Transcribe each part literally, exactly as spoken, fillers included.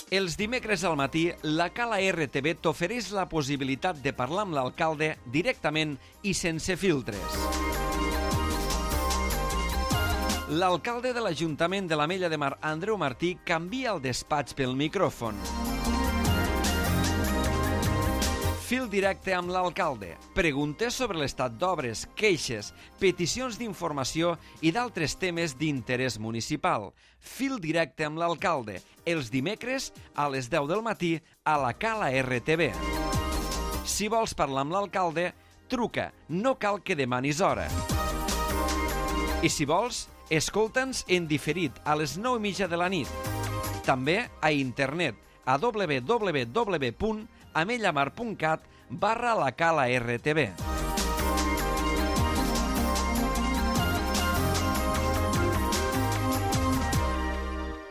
Els dimecres al matí, la Cala R T V t'ofereix la possibilitat de parlar amb l'alcalde directament i sense filtres. L'alcalde de l'Ajuntament de l'Ametlla de Mar, Andreu Martí, canvia el despatx pel micròfon. Fil directe amb l'alcalde. Preguntes sobre l'estat d'obres, queixes, peticions d'informació i d'altres temes d'interès municipal. Fil directe amb l'alcalde. Els dimecres a les deu del matí a la Cala R T V. Si vols parlar amb l'alcalde, truca. No cal que demanis hora. I si vols, escolta'ns en diferit a les nou i mitja de la nit. També a internet a w w w punt amellamar punt cat barra la Cala R T V.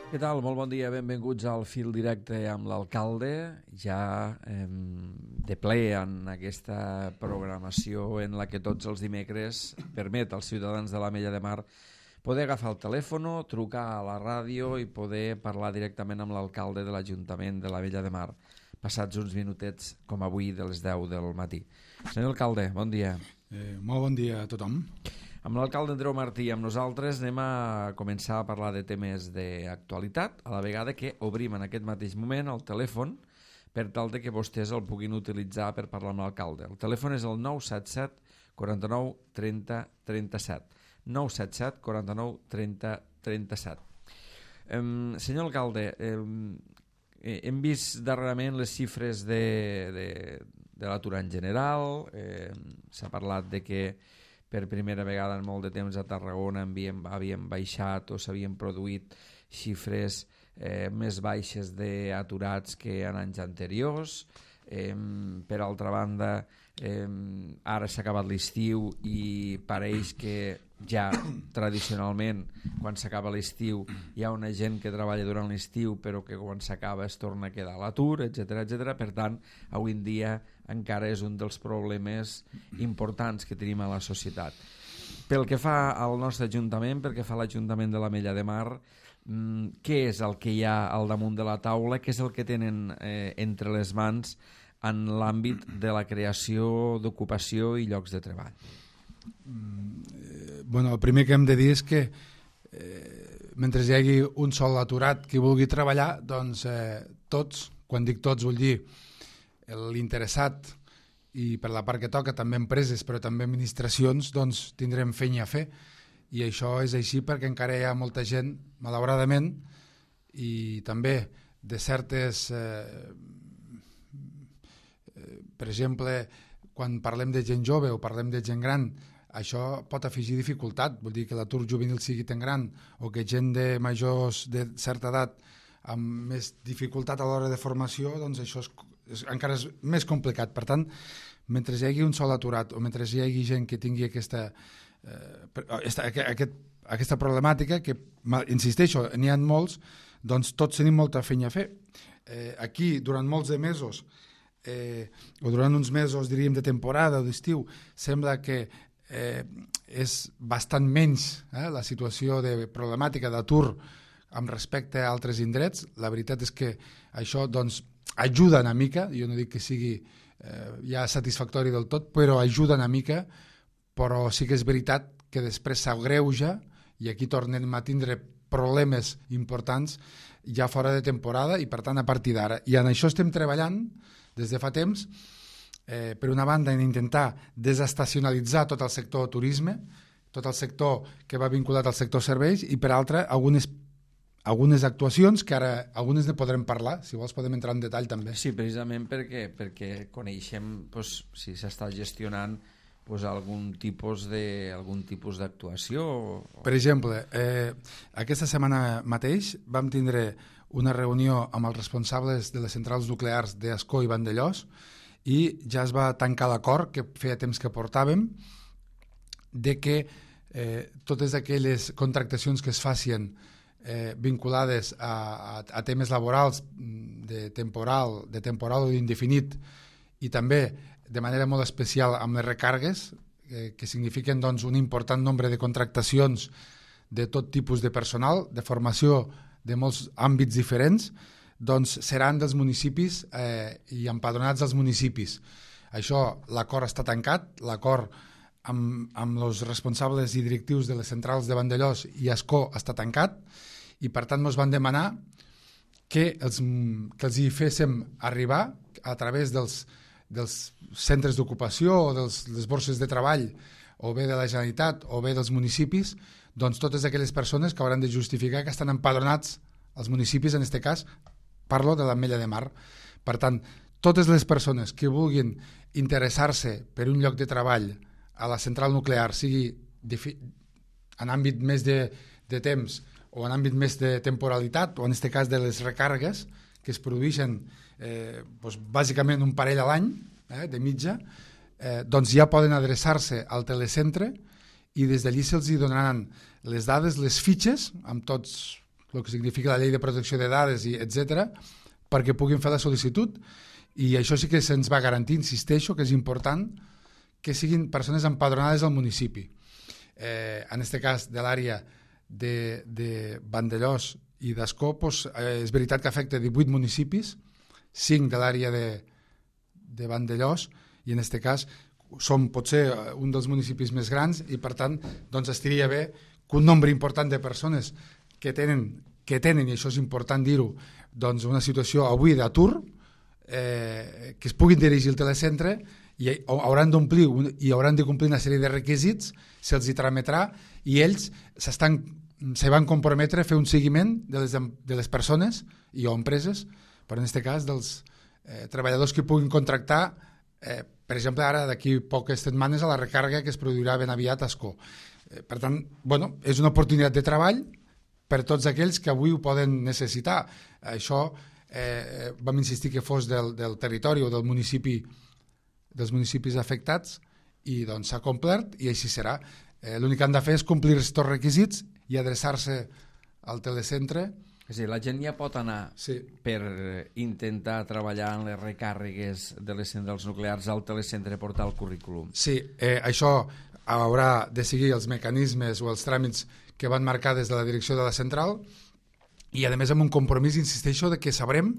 Què tal? Molt bon dia, benvinguts al Fil Directe amb l'alcalde, ja eh, de ple en aquesta programació en la que tots els dimecres permet als ciutadans de l'Ametlla de Mar poder agafar el telèfon, trucar a la ràdio i poder parlar directament amb l'alcalde de l'Ajuntament de l'Ametlla de Mar, passats uns minutets com avui de les deu del matí. Senyor alcalde, bon dia. Eh, molt bon dia a tothom. Amb l'alcalde Andreu Martí i amb nosaltres anem a començar a parlar de temes d'actualitat, a la vegada que obrim en aquest mateix moment el telèfon per tal de que vostès el puguin utilitzar per parlar amb l'alcalde. El telèfon és el nou set set quaranta-nou trenta trenta-set. nou set set quaranta-nou trenta trenta-set. Eh, senyor alcalde, eh, hem vist darrerament les xifres de, de, de l'atur en general, eh, s'ha parlat de que per primera vegada en molt de temps a Tarragona havíem, havíem baixat o s'havien produït xifres eh, més baixes d'aturats que en anys anteriors. Eh, per altra banda, eh, ara s'ha acabat l'estiu i pareix que ja tradicionalment quan s'acaba l'estiu hi ha una gent que treballa durant l'estiu però que quan s'acaba es torna a quedar a l'atur, etcètera, etcètera. Per tant, avui en dia encara és un dels problemes importants que tenim a la societat. Pel que fa al nostre Ajuntament, pel que fa a l'Ajuntament de l'Ametlla de Mar, mm, què és el que hi ha al damunt de la taula, què és el que tenen eh, entre les mans en l'àmbit de la creació d'ocupació i llocs de treball? Mm, eh, bueno, el primer que hem de dir és que eh, mentre hi hagi un sol aturat que vulgui treballar, doncs eh, tots, quan dic tots vull dir l'interessat i per la part que toca també empreses però també administracions, doncs tindrem feina a fer i això és així perquè encara hi ha molta gent, malauradament, i també de certes eh, eh, per exemple, quan parlem de gent jove o parlem de gent gran, això pot afegir dificultat, vull dir que l'atur juvenil sigui tan gran o que gent de majors de certa edat amb més dificultat a l'hora de formació, doncs això és, és, encara és més complicat. Per tant, mentre hi hagi un sol aturat o mentre hi hagi gent que tingui aquesta, eh, esta, aquest, aquesta problemàtica, que insisteixo, n'hi ha molts, doncs tots tenim molta feina a fer. Eh, aquí, durant molts de mesos, eh, o durant uns mesos, diríem, de temporada o d'estiu, sembla que eh, és bastant menys eh, la situació de problemàtica d'atur amb respecte a altres indrets. La veritat és que això doncs, ajuda una mica, jo no dic que sigui eh, ja satisfactori del tot, però ajuda una mica, però sí que és veritat que després s'agreuja i aquí tornem a tindre problemes importants ja fora de temporada i per tant a partir d'ara. I en això estem treballant des de fa temps, eh, per una banda en intentar desestacionalitzar tot el sector turisme, tot el sector que va vinculat al sector serveis i per altra algunes algunes actuacions que ara algunes ne podrem parlar, si vols podem entrar en detall també. Sí, precisament perquè, perquè coneixem pues, si s'està gestionant pues, algun tipus de, algun tipus d'actuació. O... Per exemple, eh, aquesta setmana mateix vam tindre una reunió amb els responsables de les centrals nuclears d'Ascó i Vandellòs i ja es va tancar l'acord que feia temps que portàvem de que eh, totes aquelles contractacions que es facin Eh, vinculades a, a, a temes laborals de temporal, de temporal o d'indefinit i també de manera molt especial amb les recargues eh, que signifiquen doncs, un important nombre de contractacions de tot tipus de personal, de formació de molts àmbits diferents, doncs seran dels municipis eh, i empadronats dels municipis. Això, l'acord està tancat, l'acord amb, amb els responsables i directius de les centrals de Vandellòs i Ascó està tancat, i per tant ens van demanar que els, que els hi féssim arribar a través dels, dels centres d'ocupació o de les borses de treball o bé de la Generalitat o bé dels municipis, doncs totes aquelles persones que hauran de justificar que estan empadronats als municipis, en aquest cas parlo de l'Ametlla de Mar. Per tant, totes les persones que vulguin interessar-se per un lloc de treball a la central nuclear, sigui en àmbit més de, de temps o en àmbit més de temporalitat, o en aquest cas de les recàrregues que es produeixen eh, doncs bàsicament un parell a l'any, eh, de mitja, eh, doncs ja poden adreçar-se al telecentre i des d'allí se'ls donaran les dades, les fitxes, amb tots el que significa la llei de protecció de dades, i etcètera, perquè puguin fer la sol·licitud. I això sí que se'ns va garantir, insisteixo, que és important que siguin persones empadronades al municipi. Eh, en aquest cas, de l'àrea de, de Vandellòs i d'Ascó, doncs, eh, és veritat que afecta divuit municipis, cinc de l'àrea de, de Vandellòs, i en aquest cas som potser un dels municipis més grans, i per tant doncs, estaria bé que un nombre important de persones que tenen, que tenen i això és important dir-ho, doncs una situació avui d'atur, eh, que es puguin dirigir al telecentre i hauran d'omplir i hauran de complir una sèrie de requisits, se'ls hi trametrà, i ells s'estan, se van comprometre a fer un seguiment de les, de les persones i o empreses, però en aquest cas dels eh, treballadors que puguin contractar, eh, per exemple ara d'aquí poques setmanes a la recàrrega que es produirà ben aviat a Ascó. Eh, per tant, bueno, és una oportunitat de treball per tots aquells que avui ho poden necessitar. Això eh, vam insistir que fos del, del territori o del municipi, dels municipis afectats, i doncs s'ha complert i així serà. Eh, L'únic que han de fer és complir aquests requisits i adreçar-se al telecentre. És a dir, la gent ja pot anar sí. per intentar treballar en les recàrregues de les centrals nuclears al telecentre, portar el currículum. Sí, eh, això haurà de seguir els mecanismes o els tràmits que van marcar des de la direcció de la central, i a més amb un compromís, insisteixo, de que sabrem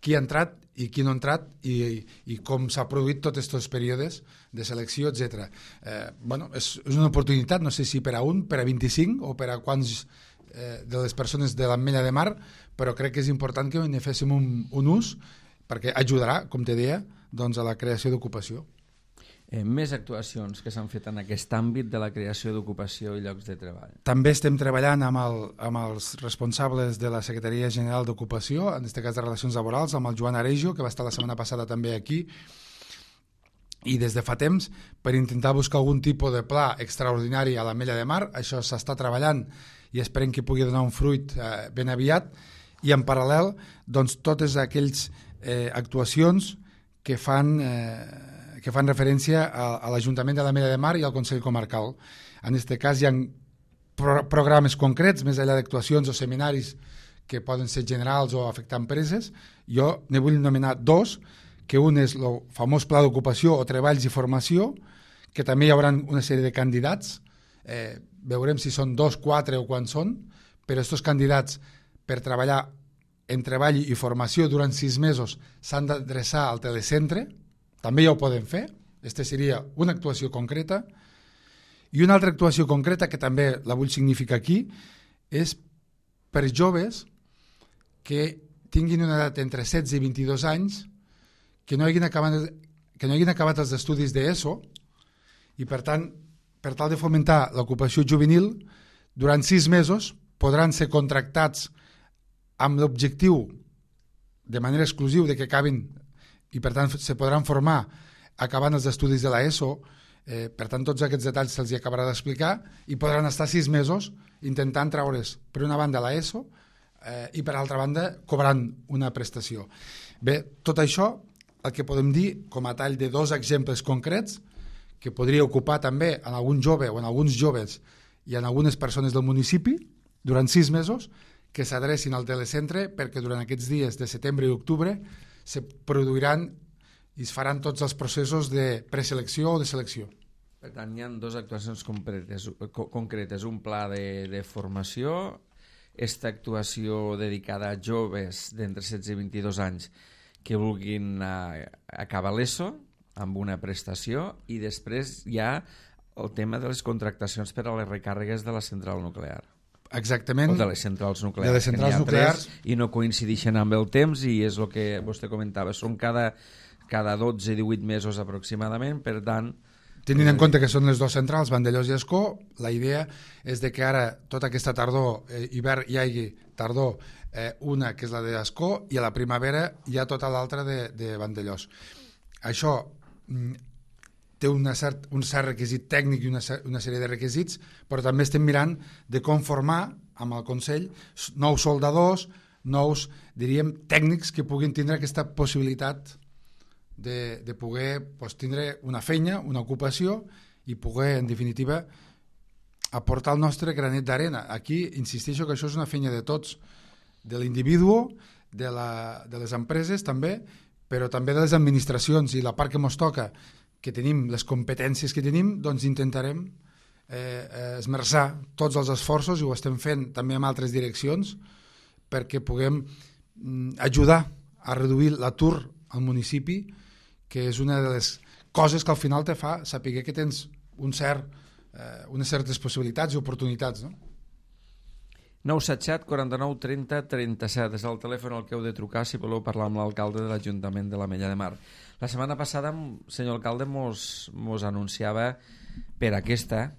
qui ha entrat i qui no ha entrat i, i, i com s'ha produït tots aquests períodes de selecció, etcètera. Eh, bueno, és, és una oportunitat, no sé si per a un, per a vint-i-cinc o per a quants eh, de les persones de l'Ametlla de Mar, però crec que és important que ne féssim un, un ús, perquè ajudarà, com te deia, doncs a la creació d'ocupació. Eh, més actuacions que s'han fet en aquest àmbit de la creació d'ocupació i llocs de treball. També estem treballant amb, el, amb els responsables de la Secretaria General d'Ocupació, en aquest cas de Relacions Laborals, amb el Joan Arejo, que va estar la setmana passada també aquí, i des de fa temps, per intentar buscar algun tipus de pla extraordinari a l'Ametlla de Mar. Això s'està treballant i esperem que pugui donar un fruit eh, ben aviat, i en paral·lel doncs, totes aquelles eh, actuacions que fan... Eh, que fan referència a, a l'Ajuntament de l'Ametlla de Mar i al Consell Comarcal. En aquest cas hi ha pro programes concrets, més enllà d'actuacions o seminaris que poden ser generals o afectar empreses. Jo ne vull nomenar dos, que un és el famós Pla d'Ocupació o Treballs i Formació, que també hi haurà una sèrie de candidats, eh, veurem si són dos, quatre o quants són, però aquests candidats per treballar en treball i formació durant sis mesos s'han d'adreçar al telecentre. També ja ho poden fer, aquesta seria una actuació concreta, i una altra actuació concreta que també la vull significar aquí és per joves que tinguin una edat entre setze i vint-i-dos anys, que no hagin acabat, que no hagin acabat els estudis d'ESO, i per tant, per tal de fomentar l'ocupació juvenil, durant sis mesos podran ser contractats amb l'objectiu de manera exclusiva de que acabin, i per tant se podran formar acabant els estudis de l'ESO. Eh, per tant tots aquests detalls se'ls acabarà d'explicar, i podran estar sis mesos intentant treure's per una banda l'ESO eh, i per altra banda cobrant una prestació. Bé, tot això el que podem dir com a tall de dos exemples concrets que podria ocupar també en algun jove o en alguns joves i en algunes persones del municipi durant sis mesos, que s'adrecin al telecentre, perquè durant aquests dies de setembre i octubre se produiran i es faran tots els processos de preselecció o de selecció. Per tant, hi ha dues actuacions concretes, concretes un pla de, de formació esta actuació dedicada a joves d'entre setze i vint-i-dos anys que vulguin uh, acabar l'ESO amb una prestació, i després hi ha el tema de les contractacions per a les recàrregues de la central nuclear. Exactament. O de les centrals nuclears. De les centrals nuclears. I no coincideixen amb el temps, i és el que vostè comentava. Són cada, cada dotze a divuit mesos aproximadament, per tant... Tenint en compte que són les dues centrals, Vandellòs i Ascó, la idea és de que ara, tota aquesta tardor, eh, hivern hi hagi tardor, eh, una que és la d'Ascó, i a la primavera hi ha tota l'altra de, de Vandellòs. Això mm, té una cert, un cert requisit tècnic i una, una sèrie de requisits, però també estem mirant de com formar amb el Consell nous soldadors, nous, diríem, tècnics que puguin tindre aquesta possibilitat de, de poder pues, tindre una feina, una ocupació, i poder, en definitiva, aportar el nostre granet d'arena. Aquí insisteixo que això és una feina de tots, de l'individu, de, la, de les empreses també, però també de les administracions, i la part que ens toca, que tenim les competències que tenim, doncs intentarem eh, esmerçar tots els esforços, i ho estem fent també en altres direccions, perquè puguem mm, ajudar a reduir l'atur al municipi, que és una de les coses que al final te fa saber que tens un cert, eh, unes certes possibilitats i oportunitats, no? nou set set, quaranta-nou, trenta, trenta-set és el telèfon al que heu de trucar si voleu parlar amb l'alcalde de l'Ajuntament de l'Ametlla de Mar. La setmana passada, senyor alcalde, mos, mos anunciava per aquesta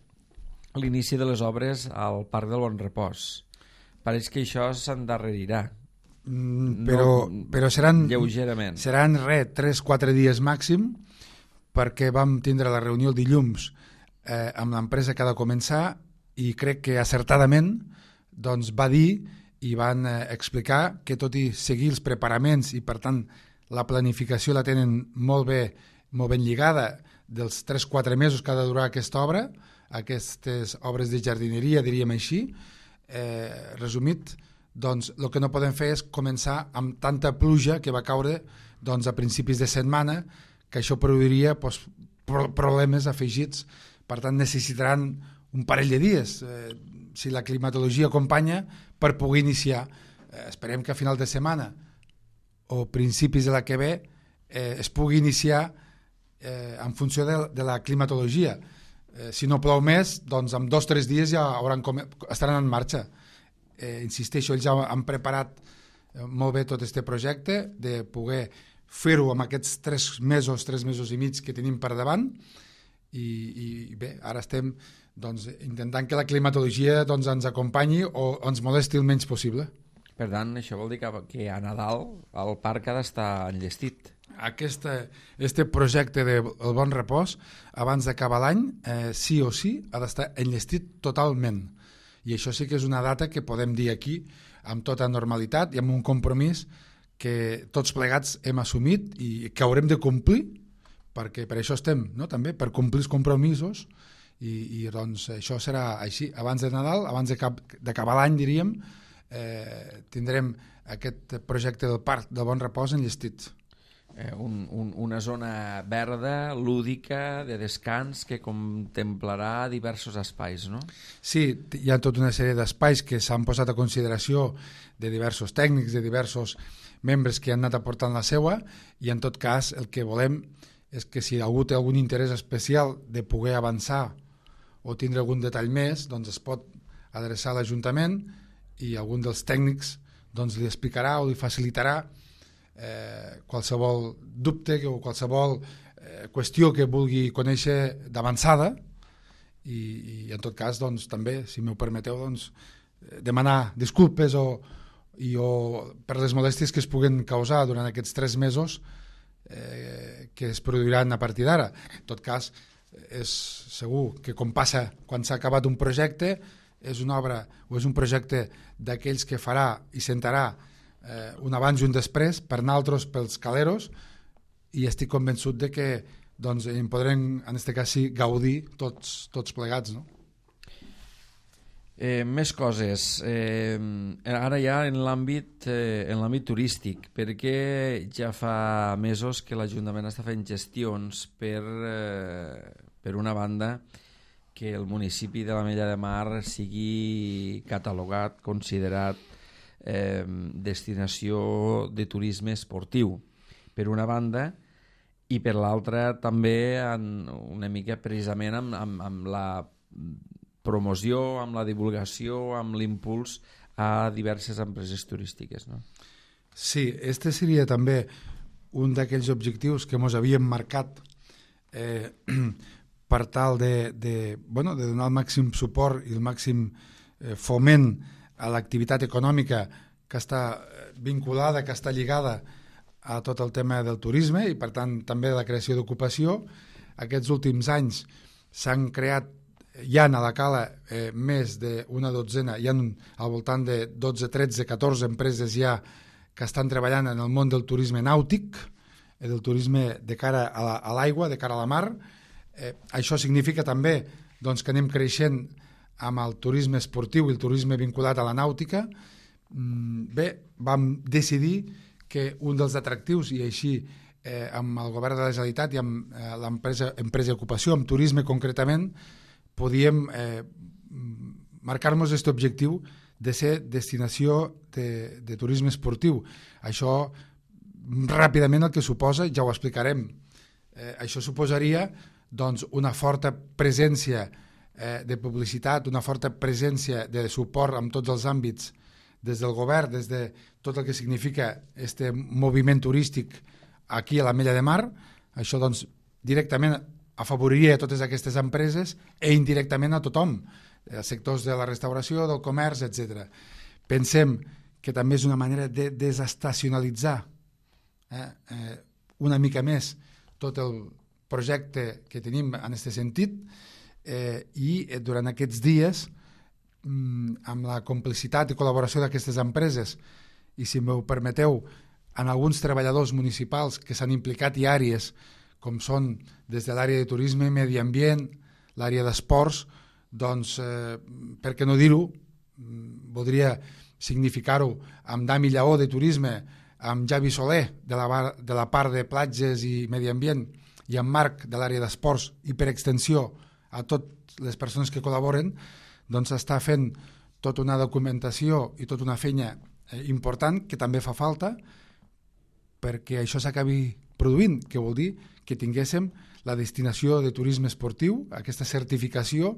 l'inici de les obres al Parc del Bon Repòs. Pareix que això s'endarrerirà. Mm, però, no, però seran, lleugerament. Seran res, tres quatre dies màxim, perquè vam tindre la reunió el dilluns eh, amb l'empresa que ha de començar, i crec que acertadament doncs va dir i van eh, explicar que tot i seguir els preparaments, i per tant la planificació la tenen molt bé, molt ben lligada dels tres quatre mesos que ha de durar aquesta obra, aquestes obres de jardineria, diríem així, eh, resumit, doncs el que no podem fer és començar amb tanta pluja que va caure doncs, a principis de setmana, que això produiria doncs, problemes afegits, per tant necessitaran un parell de dies, eh, si la climatologia acompanya, per poder iniciar. Eh, esperem que a final de setmana o principis de la que ve eh, es pugui iniciar eh, en funció de, de la climatologia. Eh, si no plou més, doncs en dos o tres dies ja hauran com... estaran en marxa. Eh, insisteixo, ells ja han preparat eh, molt bé tot aquest projecte, de poder fer-ho amb aquests tres mesos, tres mesos i mig que tenim per davant, i, i bé, ara estem doncs, intentant que la climatologia doncs, ens acompanyi o ens molesti el menys possible. Per tant, això vol dir que, que a Nadal el parc ha d'estar enllestit. Aquest este projecte del de Bon Repòs, abans d'acabar l'any, eh, sí o sí, ha d'estar enllestit totalment. I això sí que és una data que podem dir aquí amb tota normalitat i amb un compromís que tots plegats hem assumit i que haurem de complir, perquè per això estem, no? També per complir els compromisos. I, i doncs això serà així, abans de Nadal, abans d'acabar l'any, diríem, eh, tindrem aquest projecte del Parc del Bon Repòs enllestit. Eh, un, un, una zona verda, lúdica, de descans, que contemplarà diversos espais, no? Sí, hi ha tota una sèrie d'espais que s'han posat a consideració de diversos tècnics, de diversos membres que han anat aportant la seua, i en tot cas el que volem és que si algú té algun interès especial de poder avançar o tindre algun detall més, doncs es pot adreçar a l'Ajuntament, i algun dels tècnics doncs, li explicarà o li facilitarà eh, qualsevol dubte o qualsevol eh, qüestió que vulgui conèixer d'avançada, i, i en tot cas doncs, també, si m'ho permeteu, doncs, demanar disculpes o, i, o per les molèsties que es puguen causar durant aquests tres mesos eh, que es produiran a partir d'ara. En tot cas, és segur que com passa quan s'ha acabat un projecte, és una obra o és un projecte d'aquells que farà i sentarà eh, un abans i un després per naltros pels caleros, i estic convençut de que doncs, en podrem en aquest cas sí, gaudir tots, tots plegats, no? Eh, més coses. Eh, ara ja en l'àmbit eh, en l'àmbit turístic, perquè ja fa mesos que l'Ajuntament està fent gestions per, eh, per una banda, que el municipi de l'Ametlla de Mar sigui catalogat, considerat eh, destinació de turisme esportiu, per una banda, i per l'altra també en, una mica precisament amb, amb, amb la promoció, amb la divulgació, amb l'impuls a diverses empreses turístiques, no? Sí, este seria també un d'aquells objectius que ens havíem marcat eh, per tal de, de, bueno, de donar el màxim suport i el màxim eh, foment a l'activitat econòmica que està vinculada, que està lligada a tot el tema del turisme i per tant també de la creació d'ocupació. Aquests últims anys s'han creat, hi ha a la Cala eh, més d'una dotzena, hi ha al voltant de dotze, tretze, catorze empreses ja que estan treballant en el món del turisme nàutic, eh, del turisme de cara a l'aigua, de cara a la mar. Eh, això significa també doncs, que anem creixent amb el turisme esportiu i el turisme vinculat a la nàutica. Mm, bé, vam decidir que un dels atractius, i així eh, amb el govern de la Generalitat i amb eh, l'empresa empresa d'ocupació, amb turisme concretament, podíem eh, marcar-nos aquest objectiu de ser destinació de, de turisme esportiu. Això, ràpidament, el que suposa, ja ho explicarem, eh, això suposaria doncs, una forta presència eh, de publicitat, una forta presència de suport en tots els àmbits des del govern, des de tot el que significa este moviment turístic aquí a l'Ametlla de Mar. Això doncs, directament afavoriria totes aquestes empreses i indirectament a tothom, els sectors de la restauració, del comerç, etcètera. Pensem que també és una manera de desestacionalitzar eh, eh, una mica més tot el projecte que tenim en aquest sentit eh, i durant aquests dies amb la complicitat i col·laboració d'aquestes empreses i, si m'ho permeteu, en alguns treballadors municipals que s'han implicat i àrees com són des de l'àrea de turisme, medi ambient, l'àrea d'esports, doncs, eh, per què no dir-ho, voldria significar-ho amb Dami Lleó de turisme, amb Javi Soler de la, bar, de la part de platges i medi ambient i amb Marc de l'àrea d'esports i per extensió a totes les persones que col·laboren, doncs està fent tota una documentació i tota una feina eh, important que també fa falta perquè això s'acabi produint, que vol dir que tinguéssim la destinació de turisme esportiu, aquesta certificació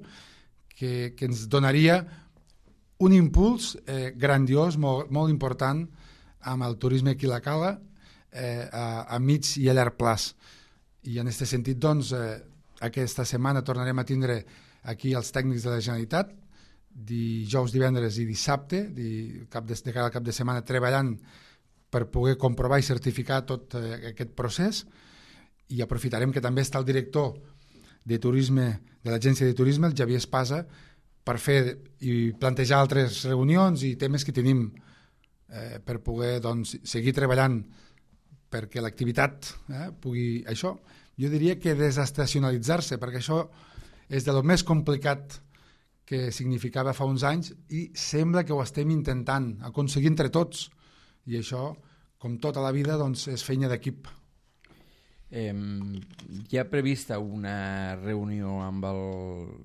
que, que ens donaria un impuls eh, grandiós, molt, molt important amb el turisme aquí a la Cala eh, a, a mig i a llarg plaç. I en aquest sentit, doncs, eh, aquesta setmana tornarem a tindre aquí els tècnics de la Generalitat, dijous, divendres i dissabte, de, cap de, de cada cap de setmana treballant per poder comprovar i certificar tot eh, aquest procés, i aprofitarem que també està el director de turisme de l'agència de turisme, el Javier Espasa, per fer i plantejar altres reunions i temes que tenim eh, per poder doncs, seguir treballant perquè l'activitat eh, pugui això. Jo diria que desestacionalitzar-se, perquè això és de lo més complicat que significava fa uns anys i sembla que ho estem intentant aconseguir entre tots, i això, com tota la vida, doncs, és feina d'equip. Eh, hi ha prevista una reunió amb el,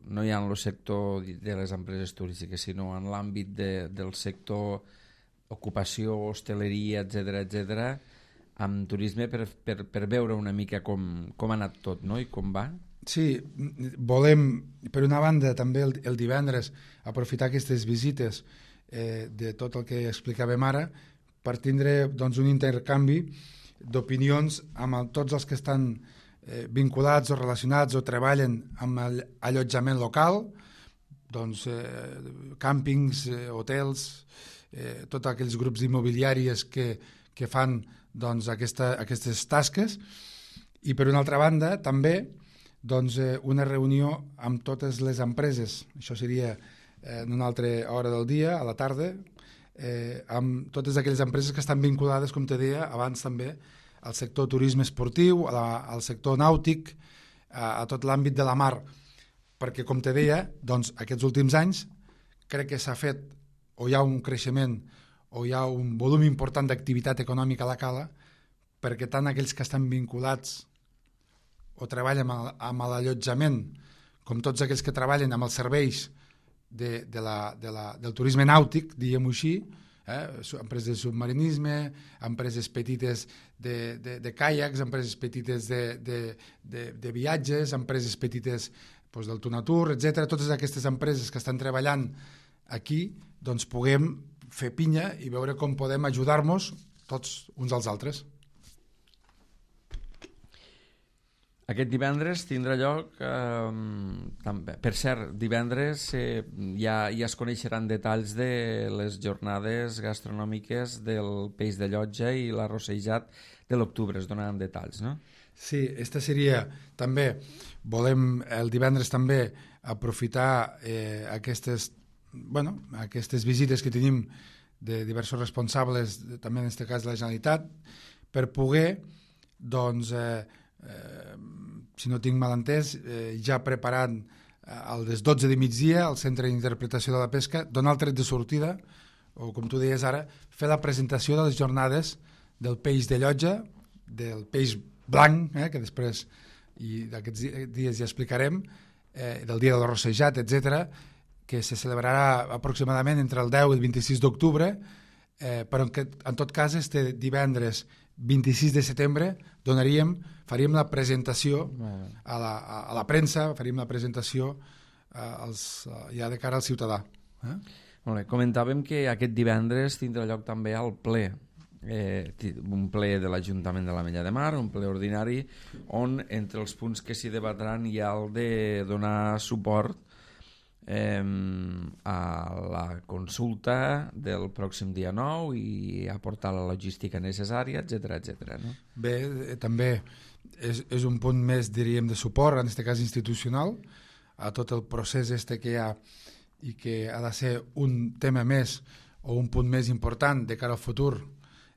no ja en el sector de les empreses turístiques, sinó en l'àmbit de, del sector ocupació, hostaleria, etcètera, etcètera, amb turisme per, per, per veure una mica com, com ha anat tot, no? I com va? Sí, volem, per una banda, també el, el divendres aprofitar aquestes visites eh, de tot el que explicàvem ara per tindre doncs, un intercanvi d'opinions amb el, tots els que estan eh, vinculats o relacionats o treballen amb l'allotjament local, doncs, eh, càmpings, eh, hotels, eh, tots aquells grups immobiliaris que, que fan doncs, aquesta, aquestes tasques, i per una altra banda també doncs, eh, una reunió amb totes les empreses, això seria eh, en una altra hora del dia, a la tarda, eh, amb totes aquelles empreses que estan vinculades, com te deia abans també, al sector turisme esportiu, a la, al sector nàutic, a, a tot l'àmbit de la mar, perquè, com te deia, doncs, aquests últims anys crec que s'ha fet, o hi ha un creixement, o hi ha un volum important d'activitat econòmica a la Cala, perquè tant aquells que estan vinculats o treballen amb, amb l'allotjament com tots aquells que treballen amb els serveis de, de la, de la, del turisme nàutic, diguem-ho així, eh? empreses de submarinisme, empreses petites de, de, de caiacs, empreses petites de, de, de, de viatges, empreses petites doncs, del Tunatur, etcètera. Totes aquestes empreses que estan treballant aquí, doncs puguem fer pinya i veure com podem ajudar-nos tots uns als altres. Aquest divendres tindrà lloc, eh, també. Per cert, divendres eh, ja, ja es coneixeran detalls de les jornades gastronòmiques del Peix de Llotja i l'arrossejat de l'octubre, es donaran detalls, no? Sí, esta seria també, volem el divendres també aprofitar eh, aquestes, bueno, aquestes visites que tenim de diversos responsables, també en aquest cas de la Generalitat, per poder, doncs, eh, Eh, si no tinc mal entès, eh, ja preparant eh, a les dotze de migdia al Centre d'Interpretació de la Pesca, donar el tret de sortida, o com tu deies ara, fer la presentació de les jornades del peix de Llotja, del peix blanc, eh, que després i d'aquests dies ja explicarem, eh, del dia de l'arrossejat, etcètera, que se celebrarà aproximadament entre el deu i el vint-i-sis d'octubre, eh, però en, que, en tot cas este divendres vint-i-sis de setembre donaríem, faríem la presentació a la, a, a la premsa, faríem la presentació eh, als, ja de cara al ciutadà. Eh? Molt bé. Comentàvem que aquest divendres tindrà lloc també el ple, eh, un ple de l'Ajuntament de l'Ametlla de Mar, un ple ordinari, on entre els punts que s'hi debatran hi ha el de donar suport Eh, a la consulta del pròxim dia nou i aportar la logística necessària, etcètera, etcètera, no? Bé, eh, també és, és un punt més, diríem, de suport, en aquest cas institucional, a tot el procés este que hi ha i que ha de ser un tema més o un punt més important de cara al futur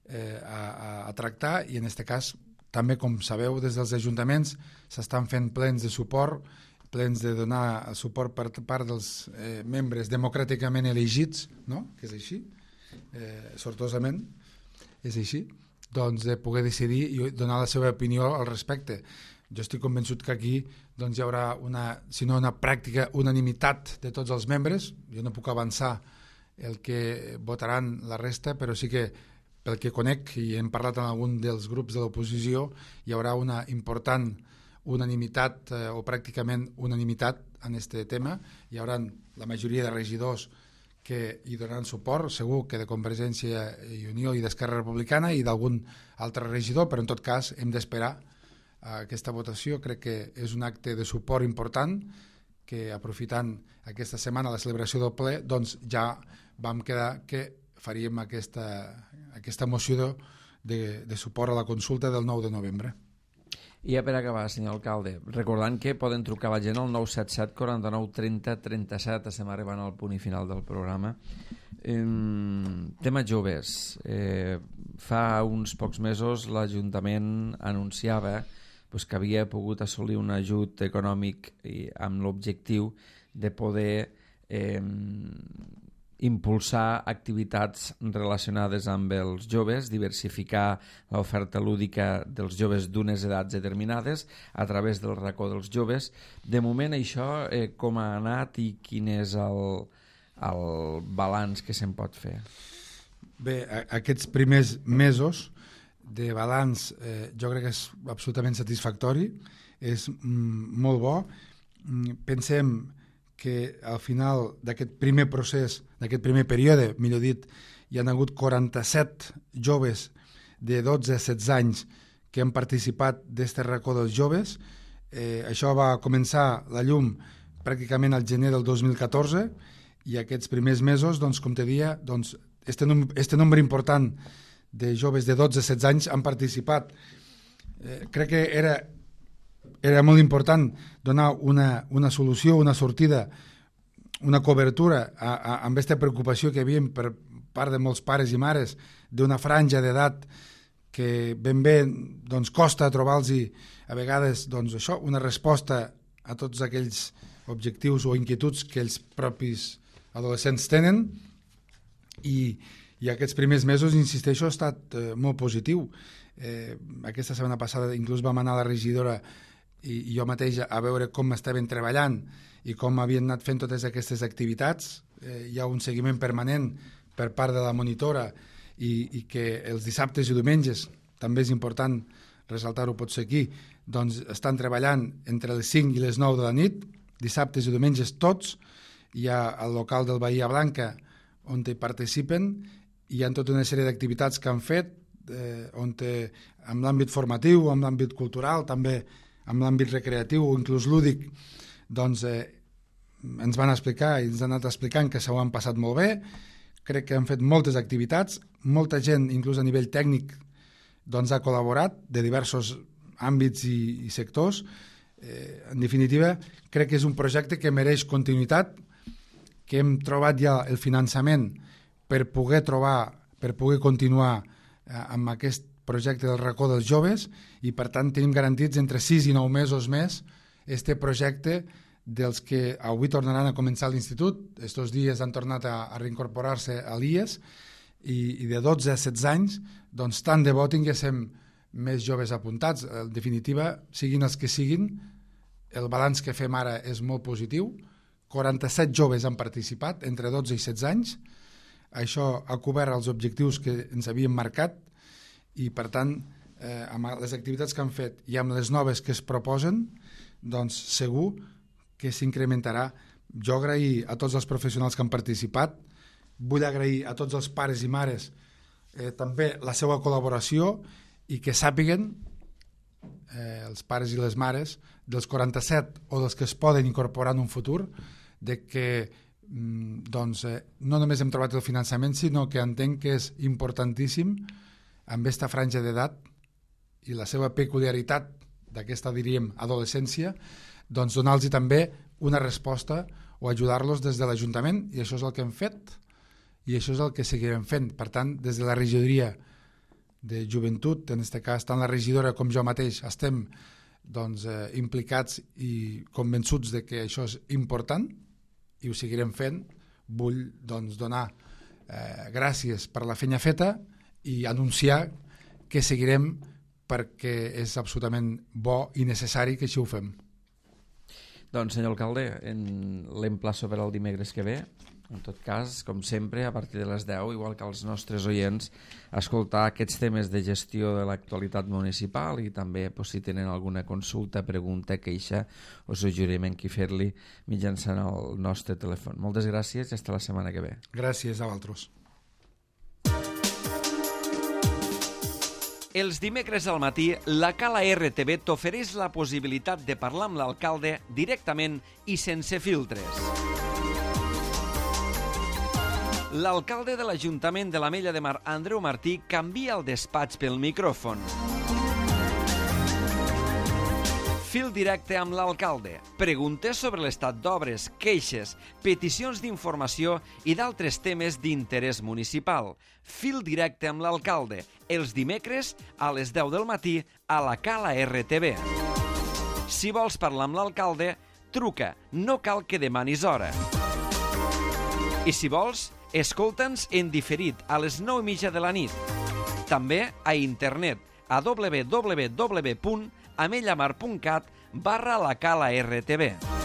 eh, a, a, a tractar, i en aquest cas també, com sabeu, des dels ajuntaments s'estan fent plens de suport, plens de donar suport per part dels eh, membres democràticament elegits, no? Que és així, eh, sortosament, és així, doncs de poder decidir i donar la seva opinió al respecte. Jo estic convençut que aquí doncs, hi haurà una, si no una pràctica unanimitat de tots els membres. Jo no puc avançar el que votaran la resta, però sí que pel que conec, i hem parlat amb algun dels grups de l'oposició, hi haurà una important unanimitat eh, o pràcticament unanimitat en aquest tema. Hi haurà la majoria de regidors que hi donaran suport, segur que de Convergència i Unió i d'Esquerra Republicana i d'algun altre regidor, però en tot cas hem d'esperar a aquesta votació. Crec que és un acte de suport important que, aprofitant aquesta setmana la celebració del ple, doncs ja vam quedar que faríem aquesta, aquesta moció de, de suport a la consulta del nou de novembre. I ja per acabar, senyor alcalde, recordant que poden trucar la gent al nou set set quaranta-nou trenta trenta-set, estem arribant al punt i final del programa. Eh, tema joves. Eh, fa uns pocs mesos l'Ajuntament anunciava pues, que havia pogut assolir un ajut econòmic i, amb l'objectiu de poder eh, impulsar activitats relacionades amb els joves, diversificar l'oferta lúdica dels joves d'unes edats determinades a través del racó dels joves. De moment això eh, com ha anat i quin és el, el balanç que se'n pot fer? Bé, aquests primers mesos de balanç eh, jo crec que és absolutament satisfactori, és mm, molt bo. Mm, pensem que al final d'aquest primer procés, d'aquest primer període, millor dit, hi han hagut quaranta-set joves de dotze a setze anys que han participat d'aquest racó dels joves. Eh, això va començar la llum pràcticament al gener del dos mil catorze i aquests primers mesos, doncs, com te dia, doncs, este, num este nombre important de joves de dotze a setze anys han participat. Eh, crec que era era molt important donar una, una solució, una sortida, una cobertura a, a, amb aquesta preocupació que hi havia per part de molts pares i mares d'una franja d'edat que ben bé doncs, costa trobar-los a vegades doncs, això, una resposta a tots aquells objectius o inquietuds que els propis adolescents tenen, i, i aquests primers mesos, insisteixo, ha estat eh, molt positiu. Eh, aquesta setmana passada inclús vam anar a la regidora i, i jo mateix a veure com estaven treballant i com havien anat fent totes aquestes activitats. Eh, hi ha un seguiment permanent per part de la monitora i, i que els dissabtes i diumenges, també és important ressaltar-ho potser aquí, doncs estan treballant entre les cinc i les nou de la nit, dissabtes i diumenges tots. Hi ha el local del Bahia Blanca on hi participen, hi ha tota una sèrie d'activitats que han fet, eh, on te, amb l'àmbit formatiu, amb l'àmbit cultural, també amb l'àmbit recreatiu o inclús lúdic, doncs eh, ens van explicar i ens han anat explicant que s'ho han passat molt bé. Crec que han fet moltes activitats, molta gent, inclús a nivell tècnic, doncs ha col·laborat de diversos àmbits i, i sectors. Eh, en definitiva, crec que és un projecte que mereix continuïtat, que hem trobat ja el finançament per poder trobar, per poder continuar eh, amb aquest projecte del racó dels joves i per tant tenim garantits entre sis i nou mesos més este projecte dels que avui tornaran a començar a l'institut. Estos dies han tornat a, a reincorporar-se a l'I E S i, i de dotze a setze anys, doncs tant de bo tinguéssim més joves apuntats. En definitiva, siguin els que siguin, el balanç que fem ara és molt positiu. quaranta-set joves han participat entre dotze i setze anys. Això ha cobert els objectius que ens havíem marcat i, per tant, eh, amb les activitats que han fet i amb les noves que es proposen, doncs segur que s'incrementarà. Jo agrair a tots els professionals que han participat, vull agrair a tots els pares i mares eh, també la seva col·laboració i que sàpiguen, eh, els pares i les mares, dels quaranta-set o dels que es poden incorporar en un futur, de que doncs, eh, no només hem trobat el finançament, sinó que entenc que és importantíssim amb aquesta franja d'edat i la seva peculiaritat d'aquesta, diríem, adolescència, doncs donar-los també una resposta o ajudar-los des de l'Ajuntament, i això és el que hem fet i això és el que seguirem fent. Per tant, des de la regidoria de joventut, en aquest cas tant la regidora com jo mateix estem doncs, eh, implicats i convençuts de que això és important i ho seguirem fent. Vull doncs, donar eh, gràcies per la feina feta i anunciar que seguirem perquè és absolutament bo i necessari que així ho fem. Doncs, senyor alcalde, l'emplaço per al dimecres que ve. En tot cas, com sempre, a partir de les deu, igual que els nostres oients, escoltar aquests temes de gestió de l'actualitat municipal i també, pues, si tenen alguna consulta, pregunta, queixa o suggeriment que fer-li mitjançant el nostre telèfon. Moltes gràcies i fins la setmana que ve. Gràcies a vosaltres. Els dimecres al matí, la Cala R T V t'ofereix la possibilitat de parlar amb l'alcalde directament i sense filtres. L'alcalde de l'Ajuntament de l'Ametlla de Mar, Andreu Martí, canvia el despatx pel micròfon. Fil directe amb l'alcalde. Preguntes sobre l'estat d'obres, queixes, peticions d'informació i d'altres temes d'interès municipal. Fil directe amb l'alcalde. Els dimecres a les deu del matí a la Cala R T V. Si vols parlar amb l'alcalde, truca. No cal que demanis hora. I si vols, escolta'ns en diferit a les nou i mitja de la nit. També a internet a w w w punt amellamar punt cat barra la Cala R T V.